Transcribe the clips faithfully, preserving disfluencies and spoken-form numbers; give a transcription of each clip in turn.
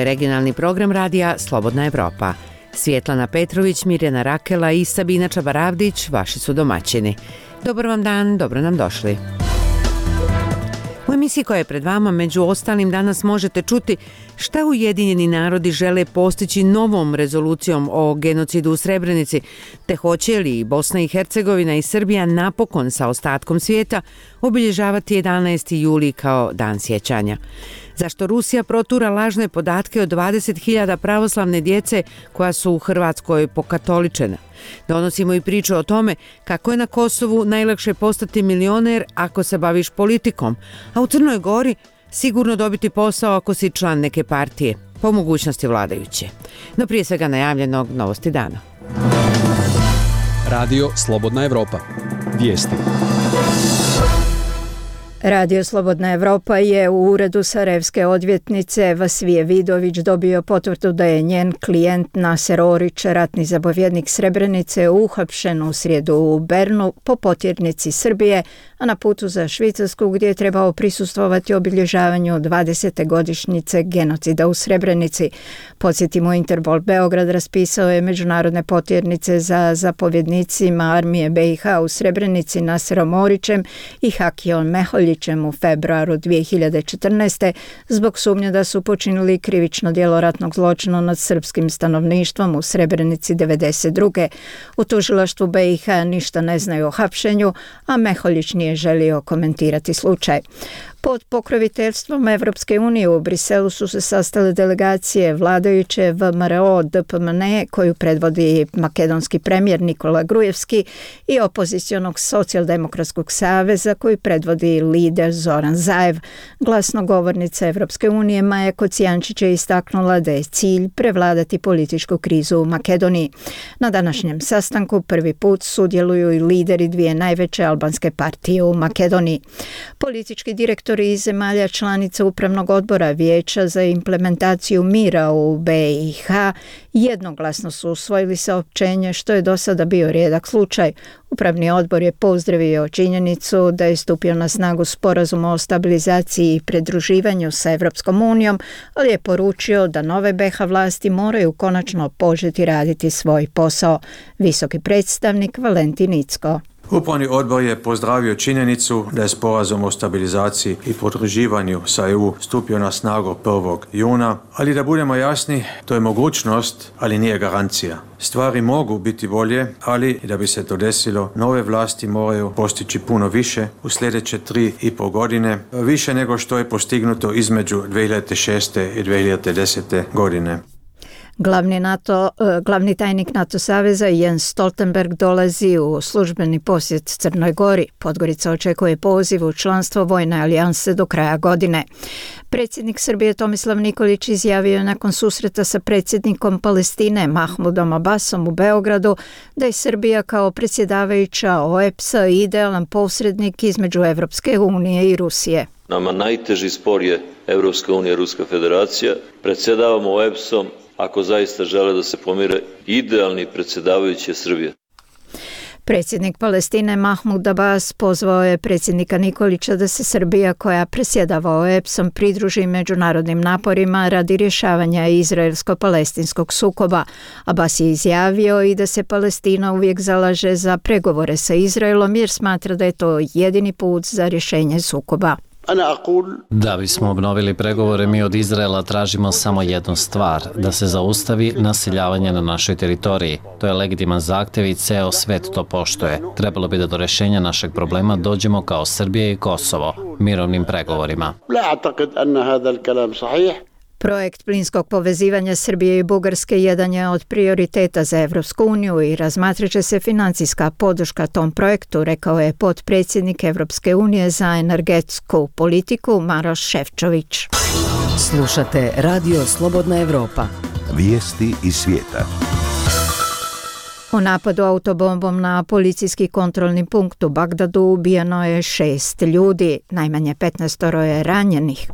je regionalni program radija Slobodna Evropa. Svjetlana Petrović, Mirjana Rakela i Sabina Čabaravdić vaši su domaćini. Dobar vam dan, dobro nam došli. U emisiji koja je pred vama, među ostalim, danas možete čuti šta Ujedinjeni narodi žele postići novom rezolucijom o genocidu u Srebrenici, te hoće li Bosna i Hercegovina i Srbija napokon sa ostatkom svijeta obilježavati jedanaesti juli kao dan sjećanja. Zašto Rusija protura lažne podatke o dvadeset hiljada pravoslavne djece koja su u Hrvatskoj pokatoličena. Donosimo i priču o tome kako je na Kosovu najlakše postati milioner ako se baviš politikom, a u Crnoj Gori sigurno dobiti posao ako si član neke partije, po mogućnosti vladajuće. No prije svega najavljenog novosti dana. Radio Slobodna Evropa. Vijesti. Radio Slobodna Evropa je u uredu sarajevske odvjetnice Vasvije Vidović dobio potvrdu da je njen klijent Naser Orić, ratni zapovjednik Srebrenice, uhapšen u srijedu u Bernu po potjernici Srbije, a na putu za Švicarsku gdje je trebao prisustvovati obilježavanju dvadesete godišnjice genocida u Srebrenici. Podsjetimo, Interpol Beograd raspisao je međunarodne potjernice za zapovjednicima armije B i H u Srebrenici Naserom Orićem i Hakijom Meholjićem u februaru dvije hiljade četrnaeste. zbog sumnje da su počinili krivično djelo ratnog zločina nad srpskim stanovništvom u Srebrenici devedeset druge. U tužilaštvu B i H ništa ne znaju o hapšenju, a Meholjić nije želio komentirati slučaj. Pod pokroviteljstvom Evropske unije u Briselu su se sastale delegacije vladajuće V M R O D P M N E koju predvodi makedonski premijer Nikola Grujevski i opozicionog socijaldemokratskog saveza koji predvodi lider Zoran Zaev. Glasnogovornica Evropske unije Maja Kocijančić je istaknula da je cilj prevladati političku krizu u Makedoniji. Na današnjem sastanku prvi put sudjeluju i lideri dvije najveće albanske partije u Makedoniji. Politički direktor iz zemalja članica Upravnog odbora Vijeća za implementaciju mira u B i H jednoglasno su usvojili saopćenje, što je do sada bio rijedak slučaj. Upravni odbor je pozdravio činjenicu da je stupio na snagu sporazum o stabilizaciji i pridruživanju sa Evropskom unijom, ali je poručio da nove B i H vlasti moraju konačno početi raditi svoj posao. Visoki predstavnik Valentin Incko. Upravni odbor je pozdravio činjenicu da je sporazum o stabilizaciji i pridruživanju sa E U stupio na snagu prvog juna, ali da budemo jasni, to je mogućnost, ali nije garancija. Stvari mogu biti bolje, ali da bi se to desilo, nove vlasti moraju postići puno više u sljedeće tri i pol godine, više nego što je postignuto između dvije hiljade šeste i dvije hiljade desete godine. Glavni, NATO, glavni tajnik NATO saveza Jens Stoltenberg dolazi u službeni posjet Crnoj Gori. Podgorica očekuje poziv u članstvo vojne alijanse do kraja godine. Predsjednik Srbije Tomislav Nikolić izjavio je nakon susreta sa predsjednikom Palestine Mahmudom Abbasom u Beogradu da je Srbija kao predsjedavajuća O E P S-a idealan posrednik između Evropske unije i Rusije. Nama najteži spor je Evropska unija i Ruska federacija. Predsjedavamo O E P S-om ako zaista žele da se pomire, idealni predsjedavajući je Srbija. Predsjednik Palestine Mahmud Abbas pozvao je predsjednika Nikolića da se Srbija, koja predsjedava O E P S-om, pridruži međunarodnim naporima radi rješavanja izraelsko-palestinskog sukoba. Abbas je izjavio i da se Palestina uvijek zalaže za pregovore sa Izraelom jer smatra da je to jedini put za rješenje sukoba. Da bismo obnovili pregovore, mi od Izraela tražimo samo jednu stvar, da se zaustavi naseljavanje na našoj teritoriji. To je legitiman zahtjev i ceo svet to poštuje. Trebalo bi da do rješenja našeg problema dođemo kao Srbija i Kosovo, mirovnim pregovorima. Projekt plinskog povezivanja Srbije i Bugarske jedan je od prioriteta za Evropsku uniju i razmatrat će se financijska podrška tom projektu, rekao je potpredsjednik Evropske unije za energetsku politiku Maroš Šefčović. Slušate Radio Slobodna Evropa. Vijesti iz svijeta. U napadu autobombom na policijski kontrolni punkt u Bagdadu ubijeno je šest ljudi, najmanje petnaest je ranjenih.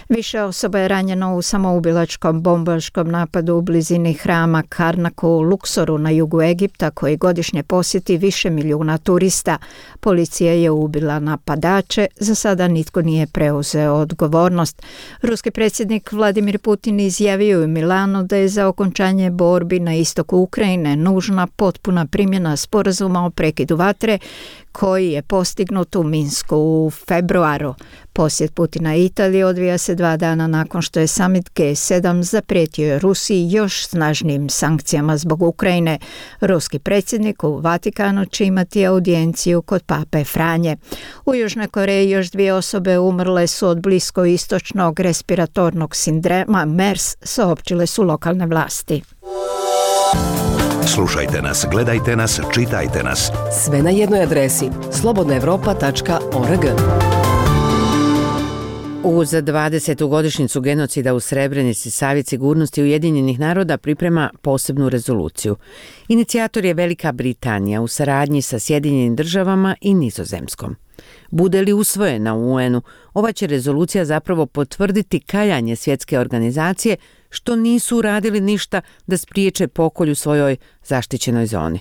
Više osoba je ranjeno u samoubilačkom bombaškom napadu u blizini hrama Karnaku u Luksoru na jugu Egipta, koji godišnje posjeti više milijuna turista. Policija je ubila napadače, za sada nitko nije preuzeo odgovornost. Ruski predsjednik Vladimir Putin izjavio u Milanu da je za okončanje borbi na istoku Ukrajine nužna potpuna primjena sporazuma o prekidu vatre koji je postignut u Minsku u februaru. Posjet Putina Italiji odvija se dva dana nakon što je summit G sedam zaprijetio Rusiji još snažnijim sankcijama zbog Ukrajine. Ruski predsjednik u Vatikanu će imati audijenciju kod pape Franje. U Južnoj Koreji još dvije osobe umrle su od bliskoistočnog respiratornog sindroma MERS, saopćile su lokalne vlasti. Slušajte nas, gledajte nas, čitajte nas. Sve na jednoj adresi slobodna evropa tačka org. Uz dvadesetu godišnjicu genocida u Srebrenici Savjet sigurnosti Ujedinjenih naroda priprema posebnu rezoluciju. Inicijator je Velika Britanija u saradnji sa Sjedinjenim državama i Nizozemskom. Bude li usvojena u U N-u, ova će rezolucija zapravo potvrditi kajanje svjetske organizacije što nisu uradili ništa da spriječe pokolj u svojoj zaštićenoj zoni.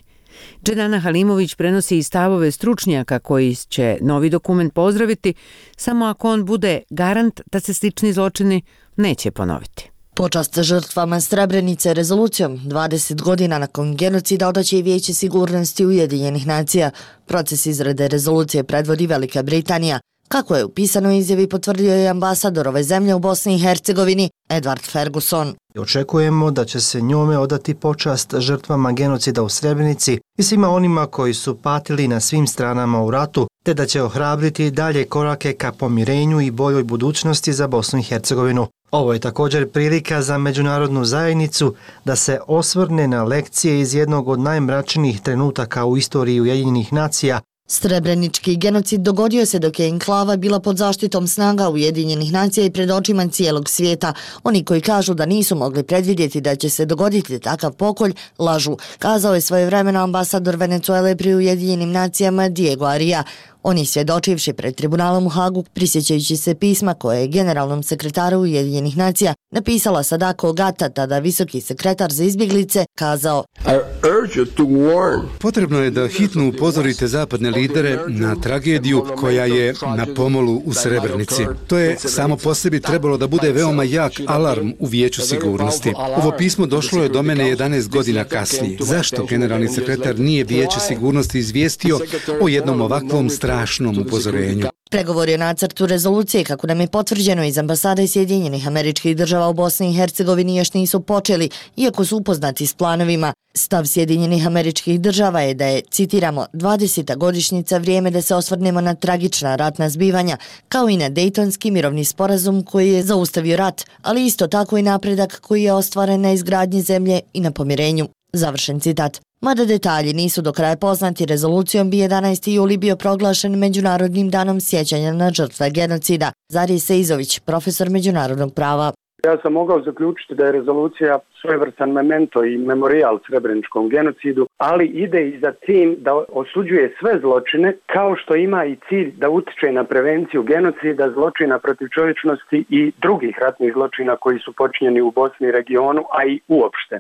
Dženana Halimović prenosi i stavove stručnjaka koji će novi dokument pozdraviti samo ako on bude garant da se slični zločini neće ponoviti. Počast žrtvama Srebrenice rezolucijom dvadeset godina nakon genocida odaće i Vijeće sigurnosti Ujedinjenih nacija. Proces izrade rezolucije predvodi Velika Britanija. Kako je u pisanoj izjavi potvrdio je ambasador ove zemlje u Bosni i Hercegovini Edward Ferguson. Očekujemo da će se njome odati počast žrtvama genocida u Srebrenici i svima onima koji su patili na svim stranama u ratu, te da će ohrabriti dalje korake ka pomirenju i boljoj budućnosti za Bosnu i Hercegovinu. Ovo je također prilika za međunarodnu zajednicu da se osvrne na lekcije iz jednog od najmračnijih trenutaka u istoriji Ujedinjenih nacija. Srebrenički genocid dogodio se dok je enklava bila pod zaštitom snaga Ujedinjenih nacija i pred očima cijelog svijeta. Oni koji kažu da nisu mogli predvidjeti da će se dogoditi takav pokolj, lažu, kazao je svojevremeno ambasador Venezuele pri Ujedinjenim nacijama Diego Aria. On je svjedočivši pred tribunalom u Hagu, prisjećajući se pisma koje je generalnom sekretaru Ujedinjenih nacija napisala Sadako Ogata, tada visoki sekretar za izbjeglice, kazao: Potrebno je da hitno upozorite zapadne lidere na tragediju koja je na pomolu u Srebrenici. To je samo po sebi trebalo da bude veoma jak alarm u Vijeću sigurnosti. Ovo pismo došlo je do mene jedanaest godina kasnije. Zašto generalni sekretar nije Vijeće sigurnosti izvijestio o jednom ovakvom strašnom upozorenju? Pregovori o nacrtu rezolucije, kako nam je potvrđeno iz ambasade Sjedinjenih Američkih Država u Bosni i Hercegovini, još nisu počeli, iako su upoznati s planovima. Stav Sjedinjenih Američkih Država je da je, citiramo, dvadeseta godišnjica vrijeme da se osvrnemo na tragična ratna zbivanja, kao i na Dejtonski mirovni sporazum koji je zaustavio rat, ali isto tako i napredak koji je ostvaren na izgradnji zemlje i na pomirenju. Završen citat. Mada detalji nisu do kraja poznati, rezolucijom bi jedanaesti juli bio proglašen Međunarodnim danom sjećanja na žrtve genocida. Zarij Seizović, profesor međunarodnog prava. Ja sam mogao zaključiti da je rezolucija svojevrstan memento i memorijal srebreničkom genocidu, ali ide i za tim da osuđuje sve zločine, kao što ima i cilj da utiče na prevenciju genocida, zločina protiv čovječnosti i drugih ratnih zločina koji su počinjeni u Bosni i regionu, a i uopšte.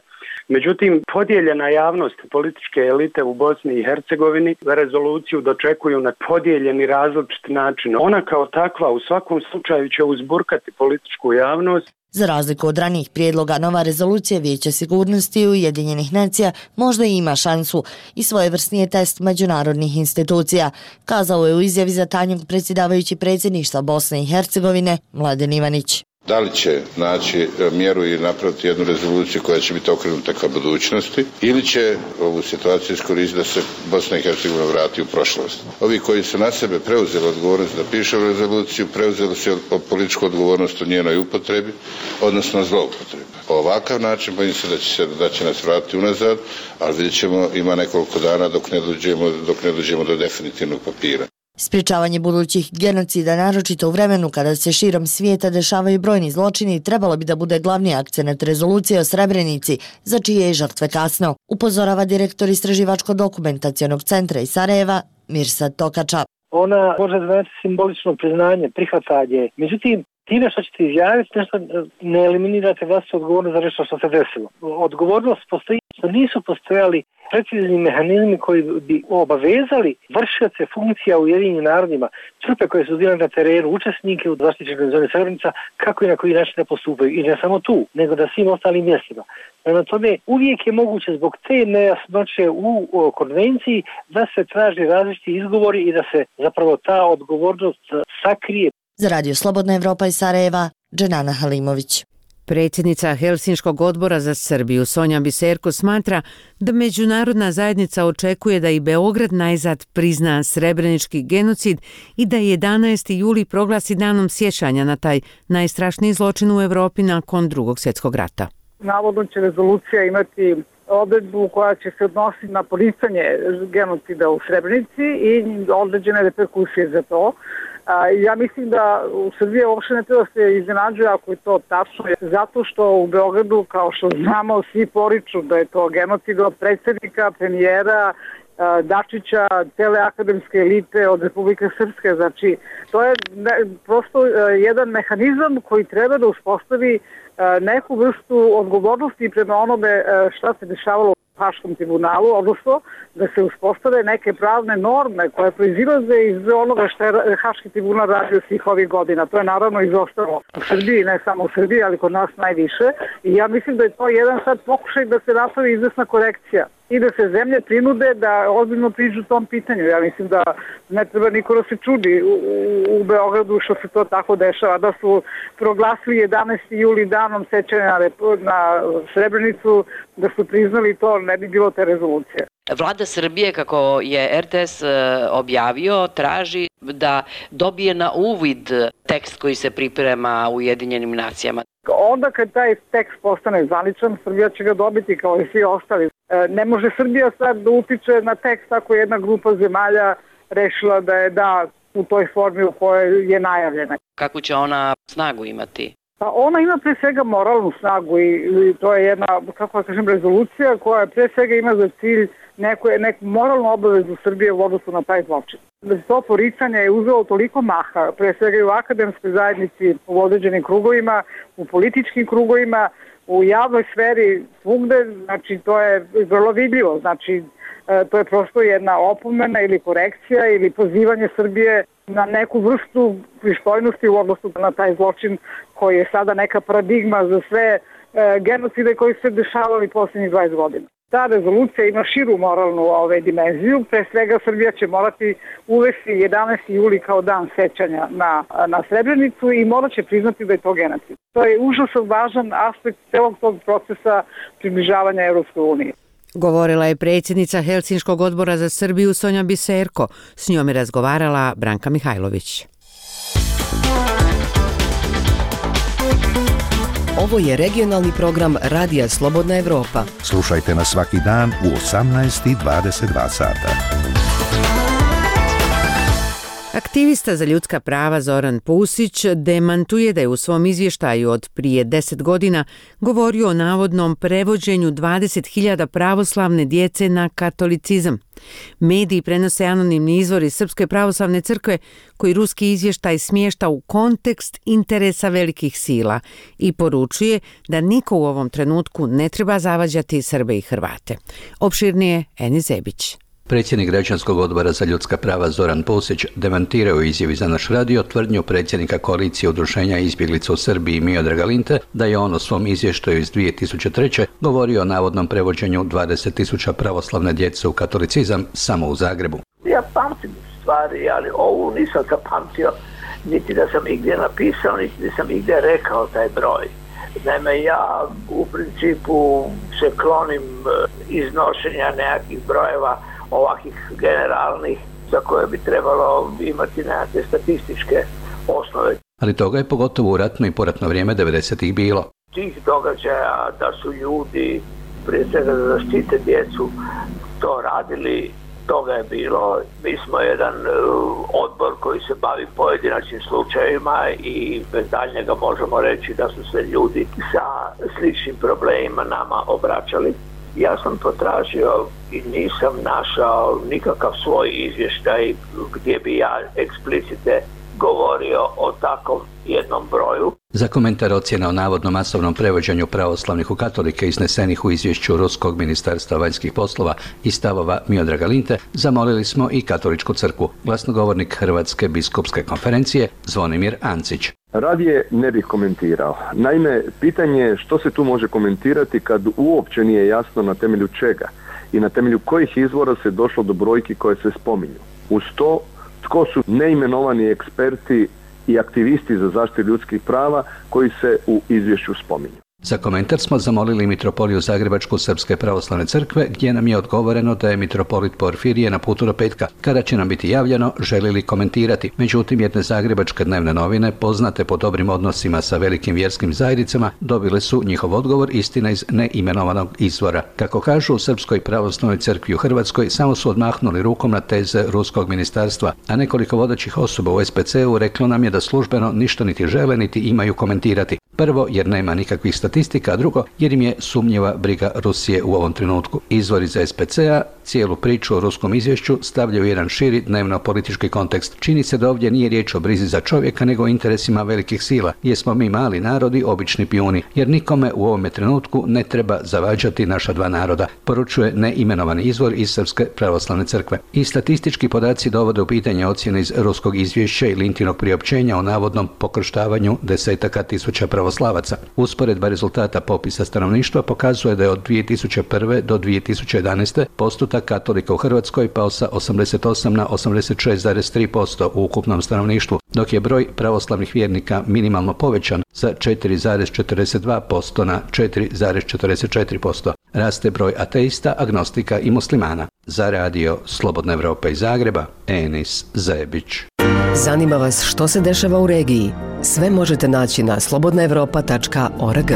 Međutim, podijeljena javnost političke elite u Bosni i Hercegovini rezoluciju dočekuju na podijeljeni različit način. Ona kao takva u svakom slučaju će uzburkati političku javnost. Za razliku od ranijih prijedloga, nova rezolucija Vijeća sigurnosti Ujedinjenih nacija možda i ima šansu i svojevrsni je test međunarodnih institucija, kazao je u izjavi za tajnog predsjedavajući predsjedništva Bosne i Hercegovine Mladen Ivanić. Da li će naći mjeru i napraviti jednu rezoluciju koja će biti okrenuta ka budućnosti ili će ovu situaciju iskoristiti da se Bosna i Hercegovina vrati u prošlost. Ovi koji su na sebe preuzeli odgovornost da piše rezoluciju, preuzeli su političku odgovornost u njenoj upotrebi, odnosno zloupotrebi. Ovakav način bojim se da će, se da će nas vratiti unazad, ali vidjet ćemo, ima nekoliko dana dok ne dođemo, dok ne dođemo do definitivnog papira. Sprječavanje budućih genocida, naročito u vremenu kada se širom svijeta dešavaju brojni zločini, trebalo bi da bude glavni akcenat rezolucije o Srebrenici, za čije je žrtve kasno, upozorava direktor Istraživačko-dokumentacionog centra iz Sarajeva Mirsad Tokača. Ona može znači simbolično priznanje, prihvatanje. Međutim, Time što ćete izjaviti nešto ne eliminirate vlastitu odgovornost za nešto što se desilo. Odgovornost postoji što nisu postojali precizni mehanizmi koji bi obavezali vršioce funkcija u Ujedinjenim narodima, trupe koje su bile na terenu, učesnike u zaštićenoj zoni Srebrenica, kako i na koji način da postupaju. I ne samo tu, nego na svim ostalim mjestima. Prema tome, uvijek je moguće zbog te nejasnoće u konvenciji da se traži različiti izgovori i da se zapravo ta odgovornost sakrije. Za Radio Slobodna Evropa iz Sarajeva, Dženana Halimović. Predsjednica Helsinškog odbora za Srbiju Sonja Biserko smatra da međunarodna zajednica očekuje da i Beograd najzad prizna srebrenički genocid i da jedanaesti juli proglasi danom sjećanja na taj najstrašniji zločin u Europi nakon Drugog svjetskog rata. Navodno će rezolucija imati odredbu koja će se odnositi na poricanje genocida u Srebrenici i određene reperkusije za to. Ja mislim da u Srbiji uopšte ne treba se iznenađuje ako je to tačno, zato što u Beogradu, kao što znamo, svi poriču da je to genocid od predsjednika, premijera, Dačića, cele akademske elite od Republike Srpske. Znači, to je prosto jedan mehanizam koji treba da uspostavi neku vrstu odgovornosti prema onome šta se dešavalo u Haškom tribunalu, odnosno da se uspostave neke pravne norme koje proizilaze iz onoga što je Haški tribunal radio svih ovih godina. To je naravno izostalo u Srbiji, ne samo u Srbiji, ali kod nas najviše. I ja mislim da je to jedan sad pokušaj da se napravi izvesna korekcija i da se zemlje prinude da ozbiljno priđu tom pitanju. Ja mislim da ne treba niko da se čudi u, u Beogradu što se to tako dešava, da su proglasili jedanaesti juli danom sećanja na, na Srebrenicu, da su priznali to, ne bi bilo te rezolucije. Vlada Srbije, kako je er te es objavio, traži da dobije na uvid tekst koji se priprema u Ujedinjenim nacijama. Onda kad taj tekst postane zvaničan, Srbija će ga dobiti kao i svi ostali. Ne može Srbija sad da utiče na tekst ako je jedna grupa zemalja rešila da je da u toj formi u kojoj je najavljena. Kako će ona snagu imati? Pa ona ima pre svega moralnu snagu i, i to je jedna, kako da kažem, rezolucija koja pre svega ima za cilj neku, neku moralnu obavezu Srbije u odnosu na taj zločin. To poricanje je uzelo toliko maha, pre svega i u akademskoj zajednici, u određenim krugovima, u političkim krugovima, u javnoj sferi, svugde, znači to je vrlo vidljivo, znači to je prosto jedna opomena ili korekcija ili pozivanje Srbije na neku vrstu pristojnosti u odnosu na taj zločin koji je sada neka paradigma za sve e, genocide koji se dešavali posljednjih dvadeset godina. Ta rezolucija ima širu moralnu ove, dimenziju, pre svega Srbija će morati uvesti jedanaesti juli kao dan sećanja na, na Srebrenicu i morat će priznati da je to genocid. To je užasno važan aspekt celog tog procesa približavanja Evropskoj uniji. Govorila je predsjednica Helsinškog odbora za Srbiju Sonja Biserko. S njom je razgovarala Branka Mihajlović. Ovo je regionalni program Radija Slobodna Evropa. Slušajte nas svaki dan u osamnaest i dvadeset dva sata. Aktivista za ljudska prava Zoran Pusić demantuje da je u svom izvještaju od prije deset godina govorio o navodnom prevođenju dvadeset hiljada pravoslavne djece na katolicizam. Mediji prenose anonimni izvori Srpske pravoslavne crkve koji ruski izvještaj smješta u kontekst interesa velikih sila i poručuje da niko u ovom trenutku ne treba zavađati Srbe i Hrvate. Opširnije Eni Zebić. Predsjednik Građanskog odbora za ljudska prava Zoran Pusić demantirao u izjavi za naš radio tvrdnju predsjednika koalicije udruženja izbjeglica u Srbiji Miodraga Linte da je on u svom izvještaju iz dvije tisuće treće. govorio o navodnom prevođenju dvadeset tisuća pravoslavne djece u katolicizam samo u Zagrebu. Ja pamtim stvari, ali ovu nisam zapamtio, niti da sam igdje napisao, niti da sam igdje rekao taj broj. Naime, ja u principu se klonim iznošenja nekakvih brojeva ovakvih generalnih za koje bi trebalo imati nekakve statističke osnove. Ali toga je pogotovo u ratno i poratno vrijeme devedesetih bilo. Tih događaja da su ljudi prije svega da zaštite djecu to radili, toga je bilo. Mi smo jedan odbor koji se bavi pojedinačnim slučajevima i bez daljnjega možemo reći da su se ljudi sa sličnim problemima nama obraćali. Ja sam potražio i nisam našao nikakav svoj izvještaj gdje bi ja eksplicite govorio o takvom jednom broju. Za komentar ocjena o navodno masovnom prevođenju pravoslavnih u katolike iznesenih u izvješću Ruskog ministarstva vanjskih poslova i stavova Miodraga Linte, zamolili smo i Katoličku crkvu. Glasnogovornik Hrvatske biskupske konferencije Zvonimir Ancić. Radije ne bih komentirao. Naime, pitanje je što se tu može komentirati kad uopće nije jasno na temelju čega i na temelju kojih izvora se došlo do brojki koje se spominju. Uz to, tko su neimenovani eksperti i aktivisti za zaštitu ljudskih prava koji se u izvješću spominju. Za komentar smo zamolili mitropoliju Zagrebačku Srpske pravoslavne crkve, gdje nam je odgovoreno da je mitropolit Porfirije na putu do petka. Kada će nam biti javljeno, želi li komentirati. Međutim, jedne zagrebačke dnevne novine, poznate po dobrim odnosima sa velikim vjerskim zajednicama, dobile su njihov odgovor, istina iz neimenovanog izvora. Kako kažu u Srpskoj pravoslavnoj crkvi u Hrvatskoj, samo su odmahnuli rukom na teze Ruskog ministarstva, a nekoliko vodećih osoba u S P C-u reklo nam je da službeno ništa niti žele niti imaju komentirati. Prvo, jer nema nikakvih statistika, a drugo, jer im je sumnjiva briga Rusije u ovom trenutku. Izvori za S P C-a cijelu priču o ruskom izvješću stavljaju u jedan širi dnevno-politički kontekst. Čini se da ovdje nije riječ o brizi za čovjeka, nego o interesima velikih sila, jer smo mi mali narodi, obični pijuni, jer nikome u ovome trenutku ne treba zavađati naša dva naroda, poručuje neimenovani izvor iz Srpske pravoslavne crkve. I statistički podaci dovode u pitanje ocjene iz ruskog izvješća i Lintinog priopćenja o navodnom pokrštavanju desetaka tisuća pravoslavaca. Usporedba rezultata popisa stanovništva pokazuje da je od dvije tisuće prve do dvije tisuće jedanaeste postotak katolika u Hrvatskoj pao sa osamdeset osam na osamdeset šest zarez tri posto u ukupnom stanovništvu, dok je broj pravoslavnih vjernika minimalno povećan sa četiri zarez četrdeset dva posto na četiri zarez četrdeset četiri posto. Raste broj ateista, agnostika i muslimana. Za radio Slobodna Evropa iz Zagreba, Enis Zebić. Zanima vas što se dešava u regiji? Sve možete naći na slobodna evropa tačka org.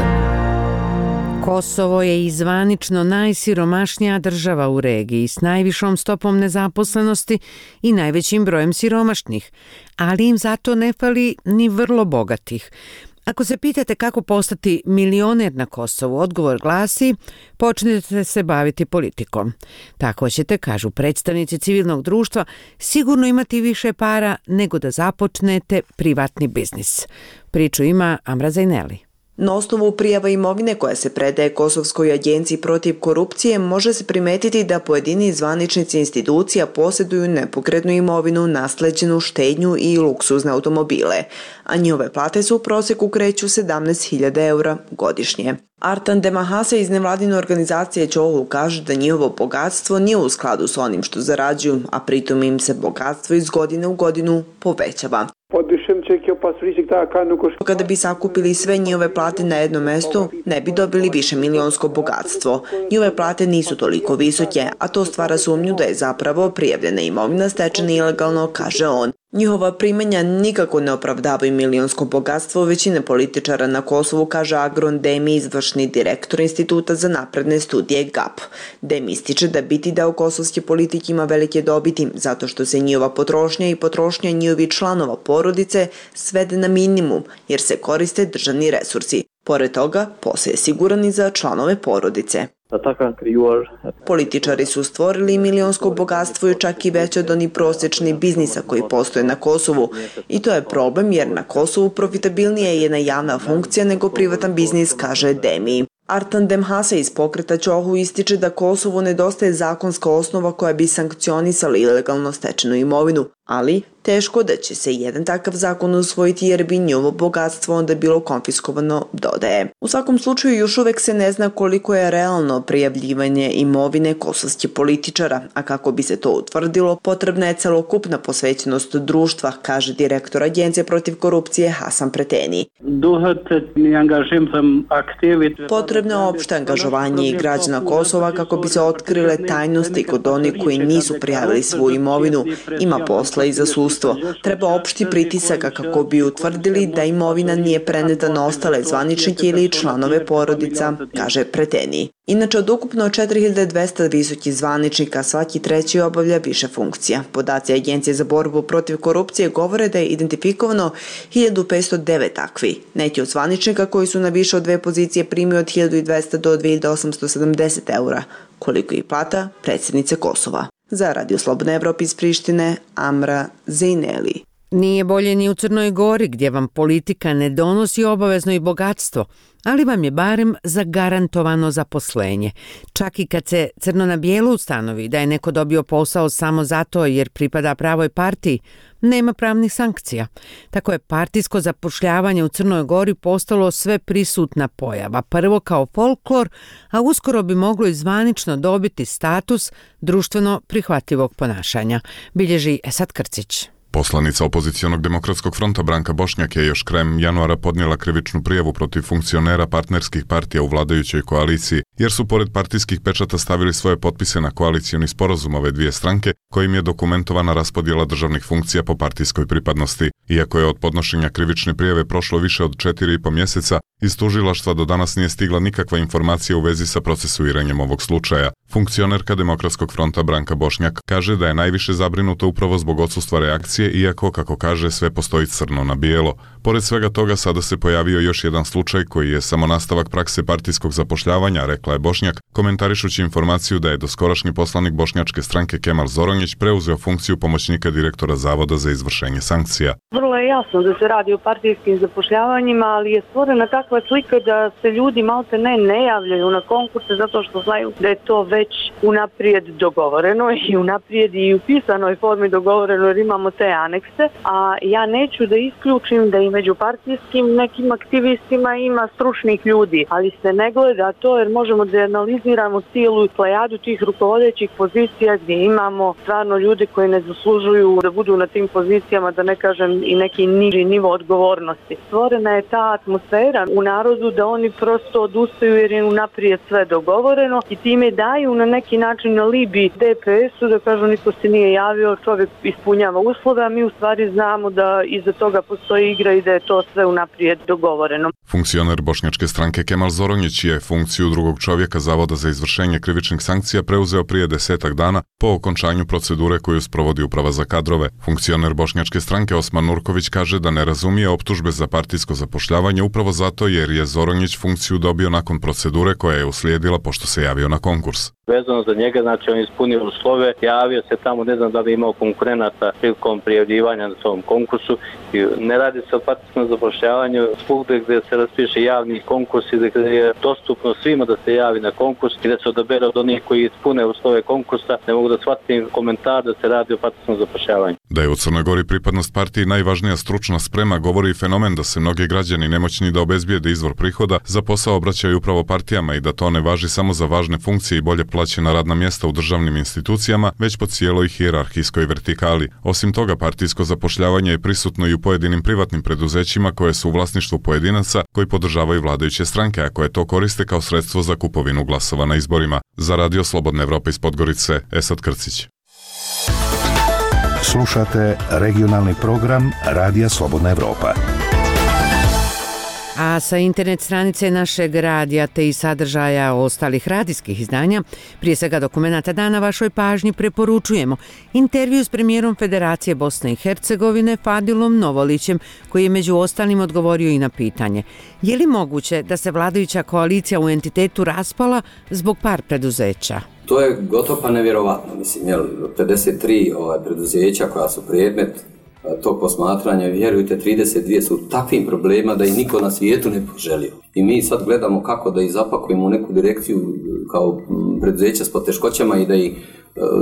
Kosovo je i zvanično najsiromašnija država u regiji s najvišom stopom nezaposlenosti i najvećim brojem siromašnih, ali im zato ne fali ni vrlo bogatih. Ako se pitate kako postati milioner na Kosovu, odgovor glasi: počnete se baviti politikom. Tako ćete, kažu predstavnici civilnog društva, sigurno imati više para nego da započnete privatni biznis. Priču ima Amra Zajneli. Na osnovu prijava imovine koja se predaje Kosovskoj agenciji protiv korupcije može se primetiti da pojedini zvaničnici institucija posjeduju nepokretnu imovinu, nasleđenu štednju i luksuzne automobile, a njihove plate su u prosjeku kreću sedamnaest hiljada eura godišnje. Artan Demahase iz nevladine organizacije Čohu kaže da njihovo bogatstvo nije u skladu s onim što zarađuju, a pritom im se bogatstvo iz godine u godinu povećava. Kada bi sakupili sve njihove plate na jedno mesto, ne bi dobili više milionsko bogatstvo. Njihove plate nisu toliko visoke, a to stvara sumnju da je zapravo prijavljena imovina stečena ilegalno, kaže on. Njihova primanja nikako ne opravdavaju milionsko bogatstvo većine političara na Kosovu, kaže Agron Demi, izvršni direktor Instituta za napredne studije G A P. Demi ističe da biti deo kosovske politike ima velike dobiti, zato što se njihova potrošnja i potrošnja njihovih članova porodice svede na minimum, jer se koriste državni resursi. Pored toga, posao je siguran i za članove porodice. Političari su stvorili milionsko bogatstvo i čak i veće od onih prosječnih biznisa koji postoje na Kosovu. I to je problem jer na Kosovu profitabilnija je jedna javna funkcija nego privatan biznis, kaže Demi. Artan Demhase iz pokreta Čohu ističe da Kosovu nedostaje zakonska osnova koja bi sankcionisala ilegalno stečenu imovinu, ali teško da će se jedan takav zakon usvojiti jer bi njihovo bogatstvo onda bilo konfiskovano, dodaje. U svakom slučaju još uvek se ne zna koliko je realno prijavljivanje imovine kosovskih političara, a kako bi se to utvrdilo, potrebna je celokupna posvećenost društva, kaže direktor Agencije protiv korupcije Hasan Preteni. Potrebno je opšte angažovanje i građana Kosova kako bi se otkrile tajnosti kod onih koji nisu prijavili svoju imovinu. Ima posla i za sudstvo. Treba opšti pritisaka kako bi utvrdili da imovina nije preneta na ostale zvaničnike ili članove porodica, kaže Preteni. Inače, od ukupno četiri hiljade dvesta visokih zvaničnika svaki treći obavlja više funkcija. Podaci Agencije za borbu protiv korupcije govore da je identifikovano hiljadu petsto devet takvi. Neki od zvaničnika koji su na više od dve pozicije primio od hiljadu dvesta do dve hiljade osamsto sedamdeset eura, koliko i plata predsjednice Kosova. Za Radio Slobodna Evropa iz Prištine, Amra Zejneli. Nije bolje ni u Crnoj Gori gdje vam politika ne donosi obavezno i bogatstvo, ali vam je barem zagarantovano zaposlenje. Čak i kad se crno na bijelo ustanovi da je neko dobio posao samo zato jer pripada pravoj partiji, nema pravnih sankcija. Tako je partijsko zapošljavanje u Crnoj Gori postalo sve prisutna pojava. Prvo kao folklor, a uskoro bi moglo i zvanično dobiti status društveno prihvatljivog ponašanja, bilježi Esad Krcić. Poslanica opozicionog demokratskog fronta Branka Bošnjak je još krajem januara podnijela krivičnu prijavu protiv funkcionera partnerskih partija u vladajućoj koaliciji, jer su pored partijskih pečata stavili svoje potpise na koalicioni sporazum ove dvije stranke, kojim je dokumentovana raspodjela državnih funkcija po partijskoj pripadnosti. Iako je od podnošenja krivične prijave prošlo više od četiri i po mjeseca, iz tužilaštva do danas nije stigla nikakva informacija u vezi sa procesuiranjem ovog slučaja. Funkcionerka Demokratskog fronta Branka Bošnjak kaže da je najviše zabrinuta upravo zbog odsustva reakcije, iako, kako kaže, sve postoji crno na bijelo. Pored svega toga, sada se pojavio još jedan slučaj koji je samo nastavak prakse partijskog zapošljavanja, rekla je Bošnjak, komentarišući informaciju da je doskorašnji poslanik bošnjačke stranke Kemal Zoronjić preuzeo funkciju pomoćnika direktora Zavoda za izvršenje sankcija. Vrlo je jasno da se radi o partijskim zapošljavanjima, ali je stvorena takva slika da se ljudi malte ne ne javljaju na konkurse zato što znaju da je to već unaprijed dogovoreno i unaprijed i u pisanoj formi dogovoreno jer imamo te anekse, a ja neću da isključim da i među partijskim nekim aktivistima ima stručnih ljudi, ali se ne gleda to jer možemo da analiziramo cijelu plejadu tih rukovodećih pozicija gdje imamo stvarno ljude koji ne zaslužuju da budu na tim pozicijama, da ne kažem i neki niži nivo odgovornosti. Stvorena je ta atmosfera u narodu da oni prosto odustaju jer je unaprijed sve dogovoreno i time daju na neki način alibi D P S-u da kažu niko se nije javio, čovjek ispunjava uslove, a mi u stvari znamo da iza toga postoji igra i da je to sve unaprijed dogovoreno. Funkcioner bošnjačke stranke Kemal Zoronjić je funkciju drugog čovjeka Zavoda za izvršenje krivičnih sankcija preuzeo prije desetak dana po okončanju procedure koju sprovodi Uprava za kadrove. Funkcioner bošnjačke stranke Osman Nurković kaže da ne razumije optužbe za partijsko zapošljavanje upravo zato jer je Zoronjić funkciju dobio nakon procedure koja je uslijedila pošto se javio na konkurs. Vezano za njega, znači on ispunio uslove, javio se tamo, ne znam da li imao konkurenata prilikom prijavljivanja na tom konkursu. I ne radi se o partijskom zapošljavanju svugdje gdje se raspiše javni konkurs i gdje je dostupno svima da se javi na konkurs i da se odabere od onih koji ispune uslove konkursa. Ne mogu da shvatim komentar da se radi o partijskom zapošljavanju. Da je u Crnoj Gori pripadnost partiji najvažnija stručna sprema, govori i fenomen da se mnogi građani nemoćni da obezbijede izvor prihoda za posao obraćaju upravo partijama i da to ne važi samo za važne funkcije i bolje plaćena radna mjesta u državnim institucijama, već po cijeloj hijerarhijskoj vertikali. Osim toga, partijsko zapošljavanje je prisutno i u pojedinim privatnim preduzećima koje su u vlasništvu pojedinaca koji podržavaju vladajuće stranke, a koje to koriste kao sredstvo za kupovinu glasova na izborima. Za Radio Slobodne Evrope iz Podgorice, Esad Krcić. Slušate regionalni program Radija Slobodna Evropa. A sa internet stranice našeg radija te i sadržaja ostalih radijskih izdanja, prije svega dokumenata dana, vašoj pažnji preporučujemo intervju s premijerom Federacije Bosne i Hercegovine Fadilom Novolićem, koji je među ostalim odgovorio i na pitanje: je li moguće da se vladajuća koalicija u entitetu raspala zbog par preduzeća? To je gotovo pa nevjerovatno, mislim, jel, pedeset tri ovaj, preduzeća koja su predmet tog posmatranja, vjerujte, trideset dvije su takvim problema da ih niko na svijetu ne poželio. I mi sad gledamo kako da ih zapakujemo u neku direkciju kao preduzeća s poteškoćama i da ih,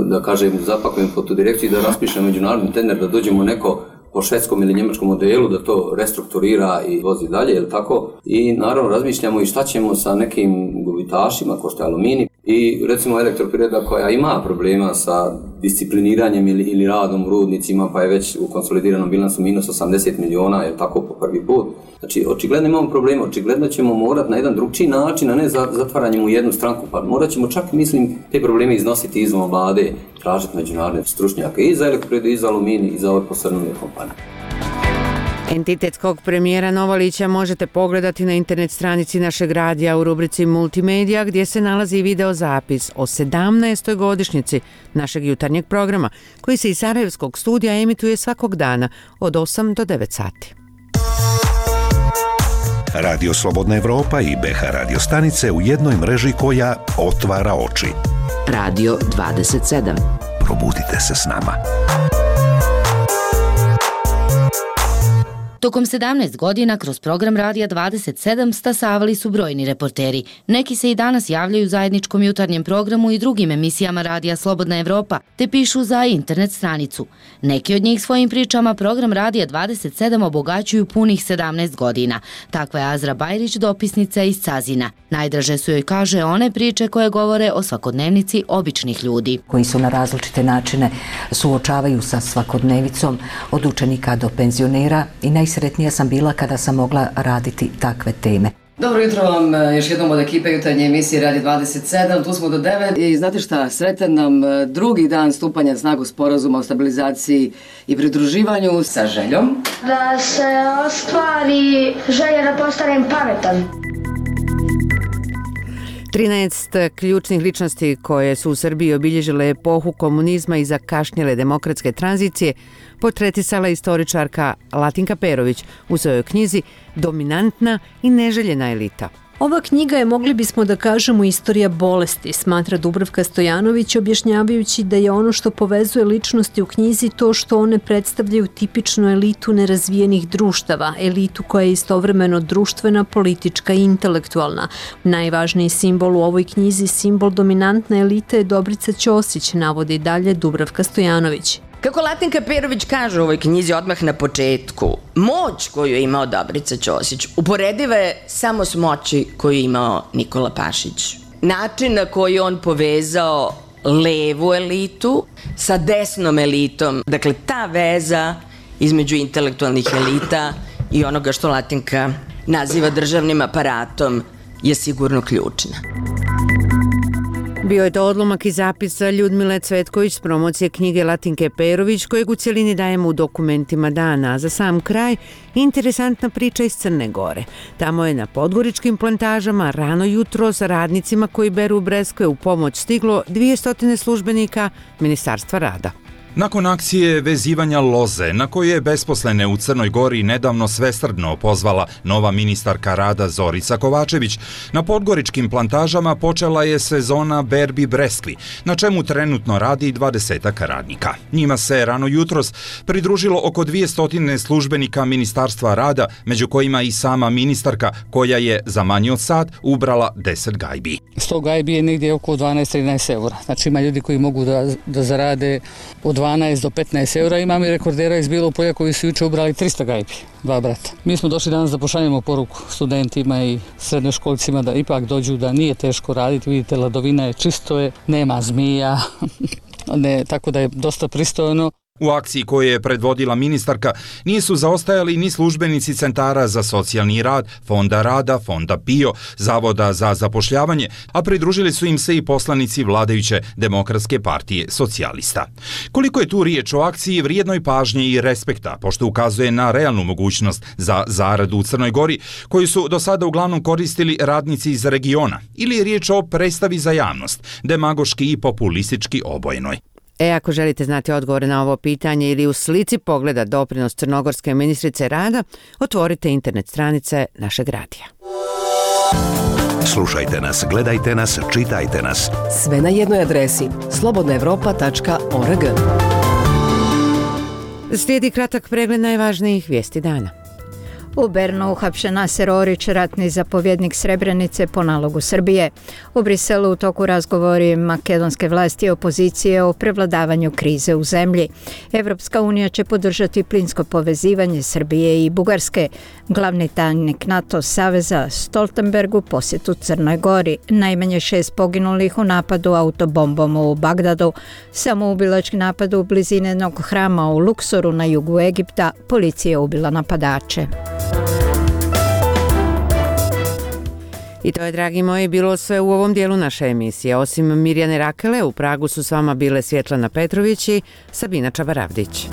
da kažem, zapakujemo po tu direkciju i da raspišemo međunarodni tender, da dođemo neko po švedskom ili njemačkom modelu, da to restrukturira i vozi dalje, jel tako? I naravno razmišljamo i šta ćemo sa nekim gubitašima, ko što je Aluminij, i recimo Elektroprivreda koja ima problema sa discipliniranjem ili, ili radom u rudnicima, pa je već u konsolidiranom bilansu minus osamdeset miliona, jel tako, po prvi put. Znači, očigledno imamo problema, očigledno ćemo morati na jedan drugčiji način, a ne zatvaranjem u jednu stranku, pa morat ćemo čak, mislim, te probleme iznositi izvan vlade, tražiti međunarodne stručnjake i za Elektroprivredu, i za Aluminij, i za ove posrnule kompanije. Entitetskog premijera Novolića možete pogledati na internet stranici našeg radija u rubrici Multimedija, gdje se nalazi i video zapis o sedamnaestoj godišnjici našeg jutarnjeg programa, koji se iz Sarajevskog studija emituje svakog dana od osam do devet sati. Radio Slobodna Evropa i B H radio stanice u jednoj mreži koja otvara oči. Radio dvadeset sedam. Probudite se s nama. Tokom sedamnaest godina kroz program Radija dvadeset sedam stasavali su brojni reporteri. Neki se i danas javljaju u zajedničkom jutarnjem programu i drugim emisijama Radija Slobodna Evropa, te pišu za internet stranicu. Neki od njih svojim pričama program Radija dvadeset sedam obogaćuju punih sedamnaest godina. Takva je Azra Bajrić, dopisnica iz Cazina. Najdraže su joj, kaže, one priče koje govore o svakodnevnici običnih ljudi. Koji su na različite načine suočavaju sa svakodnevicom od učenika do penzionera i najsretnija sam bila kada sam mogla raditi takve teme. Dobro jutro vam još jednom od ekipe jutarnje emisije Radi dvadeset sedam, tu smo do devet i znate šta, sretan nam drugi dan stupanja na snagu sporazuma o stabilizaciji i pridruživanju sa željom da se ostvari želja da postanem pametan. trinaest ključnih ličnosti koje su u Srbiji obilježile epohu komunizma i zakašnjele demokratske tranzicije potretisala istoričarka Latinka Perović u svojoj knjizi Dominantna i neželjena elita. Ova knjiga je, mogli bismo da kažemo, istorija bolesti, smatra Dubravka Stojanović, objašnjavajući da je ono što povezuje ličnosti u knjizi to što one predstavljaju tipičnu elitu nerazvijenih društava, elitu koja je istovremeno društvena, politička i intelektualna. Najvažniji simbol u ovoj knjizi, simbol dominantne elite, je Dobrica Ćosić, navodi dalje Dubravka Stojanović. Kako Latinka Perović kaže u ovoj knjizi odmah na početku, moć koju je imao Dobrica Ćosić uporediva je samo s moći koju je imao Nikola Pašić. Način na koji on povezao levu elitu sa desnom elitom, dakle ta veza između intelektualnih elita i onoga što Latinka naziva državnim aparatom je sigurno ključna. Bio je to odlomak i zapis Ljudmile Cvetković s promocije knjige Latinke Perović, kojeg u cjelini dajemo u dokumentima dana. A za sam kraj, interesantna priča iz Crne Gore. Tamo je na podgoričkim plantažama rano jutro sa radnicima koji beru breskve u pomoć stiglo dvjesto službenika Ministarstva rada. Nakon akcije vezivanja loze, na koju je besposlene u Crnoj Gori nedavno svesrdno pozvala nova ministarka rada Zorica Kovačević, na podgoričkim plantažama počela je sezona berbi breskvi, na čemu trenutno radi dvadesetak radnika. Njima se rano jutros pridružilo oko dvjesto službenika Ministarstva rada, među kojima i sama ministarka, koja je za manje od sat ubrala deset gajbi. sto gajbi je negdje oko dvanaest do trinaest eura. Znači ima ljudi koji mogu da, da zarade od dvanaest do petnaest eura. Imam i rekordera iz Bilog Polja koji su juče ubrali trista gajbi, dva brata. Mi smo došli danas da pošaljemo poruku studentima i srednjoškolcima da ipak dođu, da nije teško raditi. Vidite, ladovina je, čisto je, nema zmija, ne, tako da je dosta pristojno. U akciji koju je predvodila ministarka nisu zaostajali ni službenici centara za socijalni rad, Fonda rada, Fonda P I O, Zavoda za zapošljavanje, a pridružili su im se i poslanici vladajuće Demokratske partije socijalista. Koliko je tu riječ o akciji vrijednoj pažnje i respekta, pošto ukazuje na realnu mogućnost za zaradu u Crnoj Gori, koju su do sada uglavnom koristili radnici iz regiona, ili je riječ o predstavi za javnost, demagoški i populistički obojenoj. E, ako želite znati odgovore na ovo pitanje ili u slici pogleda doprinos crnogorske ministrice rada, otvorite internet stranice našeg radija. Slušajte nas, gledajte nas, čitajte nas. Sve na jednoj adresi slobodna evropa tačka org. Slijedi kratak pregled najvažnijih vijesti dana. U Bernu uhapšen Naser Orić, ratni zapovjednik Srebrenice po nalogu Srbije. U Briselu u toku razgovori makedonske vlasti i opozicije o prevladavanju krize u zemlji. Evropska unija će podržati plinsko povezivanje Srbije i Bugarske. Glavni tajnik NATO saveza Stoltenberg u posjetu Crnoj Gori. Najmanje šest poginulih u napadu autobombom u Bagdadu. Samoubilački napad u blizini jednog hrama u Luksoru na jugu Egipta. Policija je ubila napadače. I to je, dragi moji, bilo sve u ovom dijelu naše emisije. Osim Mirjane Rakele, u Pragu su s vama bile Svjetlana Petrović i Sabina Čabaravdić.